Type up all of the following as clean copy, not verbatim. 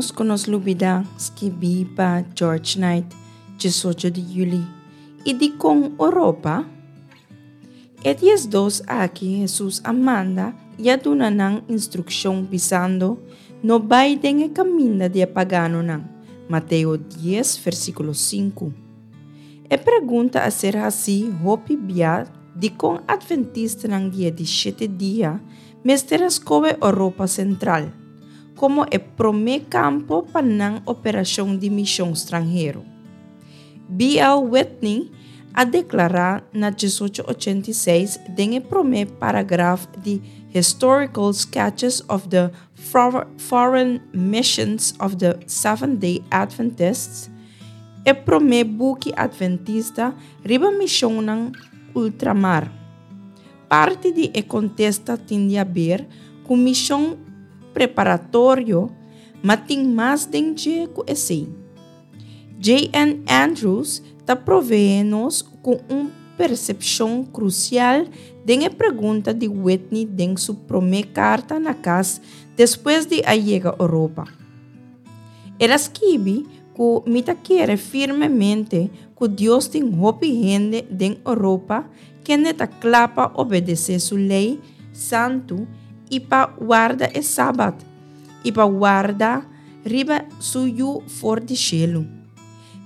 ménos ku nos lubidá, skibí pa George Knight, 18 di yüli. I dikon Oropa? E 12 aki Hesus a manda i a duna nan instrukshon, bisando, No bai den e kaminda di e paganonan. Mateo dies, versíkulo sinku. E pregunta a ser hasí hopi bia dikon atventistanan di e di shete dia mester a skohe Oropa Sentral komo e promé kampo pa nan operashon di mishon stranhero. BL. Whitney a deklará na 1886 den e promé paragraf di Historical Sketches of the Foreign Missions of the Seventh-day Adventists, e promé buki atventista riba mishonnan ultramar. Parti di e kontesta tin di haber ku mishon preparatorio, ma tin mas den dje ku esei. JN. Andrews ta proveé nos ku un persepshon krusial den e pregunta di Whitney den su promé karta na kas despues di a yega Oropa. El a skibi ku mi ta kere firmemente ku Dios tin hopi hende den Oropa kende ta kla pa obedesé su lei santu i pa warda e Sabat i pa warda riba su yu for di shelu.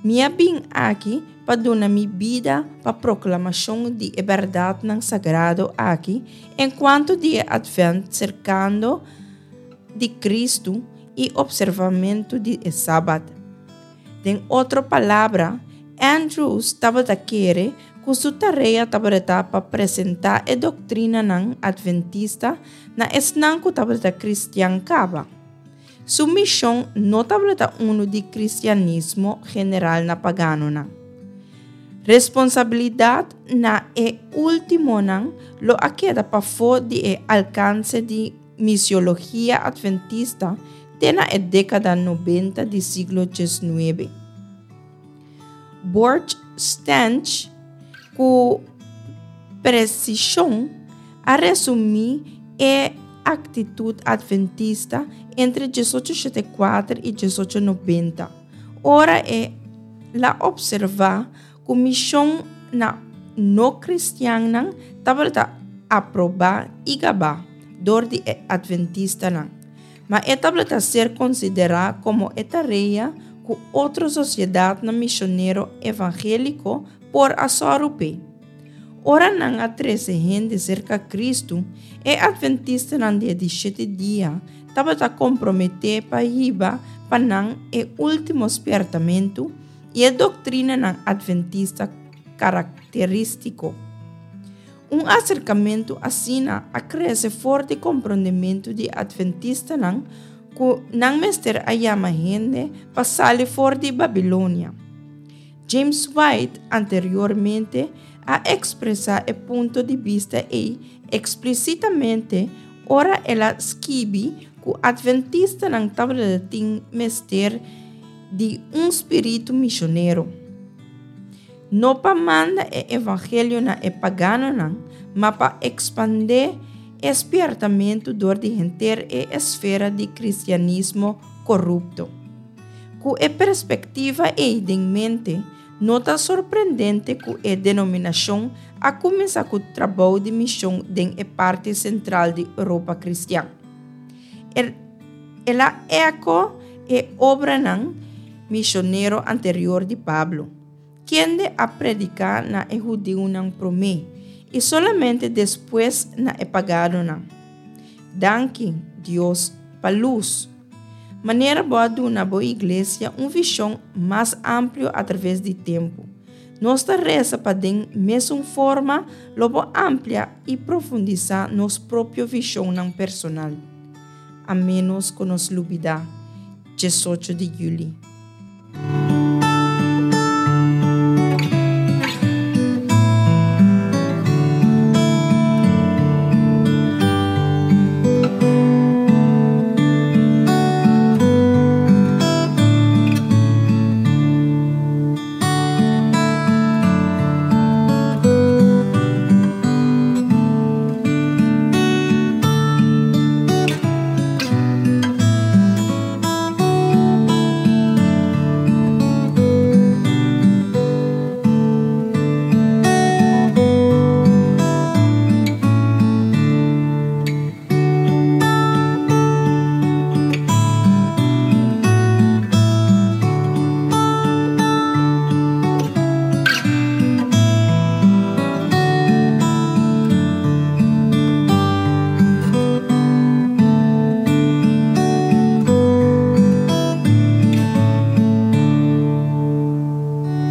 Mi a bin aki pa duna mi bida pa proklamashon di e bèrdatnan sagrado aki enkuanto di e atvènt serkando di Kristu i opservamentu di e Sabat. Den otro palabra, Andrews tabata kere ku su tarea tabata pa presentá e doktrinanan atventista na esnan ku tabata kristian kaba. Su mishon no tabata unu di kristianismo general na paganonan. Responsabilidat na e últimonan lo a keda pafó di e alkanse di misiologia atventista te na e dékada nobenta di siglo diesnuebe. Borch Stench ku presishon a resumí e aktitut atventista entre 1874 i 1890, ora e la opservá ku mishon na no-kristiannan tabata aprobá i gabá dor di e atventistanan, ma e tabata ser konsiderá komo e tarea ku otro sosiedatnan mishonero evangéliko por a sòru p'e. Ora nan a trese hende serka Kristu, e atventistanan di e di shete dia tabata komprometé pa hiba pa nan e último spièrtamentu i e doktrinanan atventista karakterístiko. Un aserkamentu asina a krese for di komprondementu di atventistanan ku nan mester a yama hende pa sali for di Babilonia. James White anteriormente a ekspresá e punto di bista ei eksplisitamente ora el a skibi ku atventistanan tabata tin mester di un spiritu mishonero, no pa manda e evangelio na e paganonan, ma pa ekspandé e spièrtamentu dor di henter e esfera di kristianismo korupto. Ku e perspektiva ei den mente, no ta sorprendente ku e denominashon a kuminsá ku trabou di mishon den e parti sentral di Europa kristian. El a eko e obranan mishonero anterior di Pablo, kende a prediká na e hudiunan promé i solamente despues na e pagadonan. Danki, Dios, pa lus! Manera bo a duna bo iglesia un vishon mas amplio atraves di tempu, nos ta resa pa den mesun forma lo bo amplia i profundisá nos propio vishonnan personal. A ménos ku nos lubidá, 18 di yüli.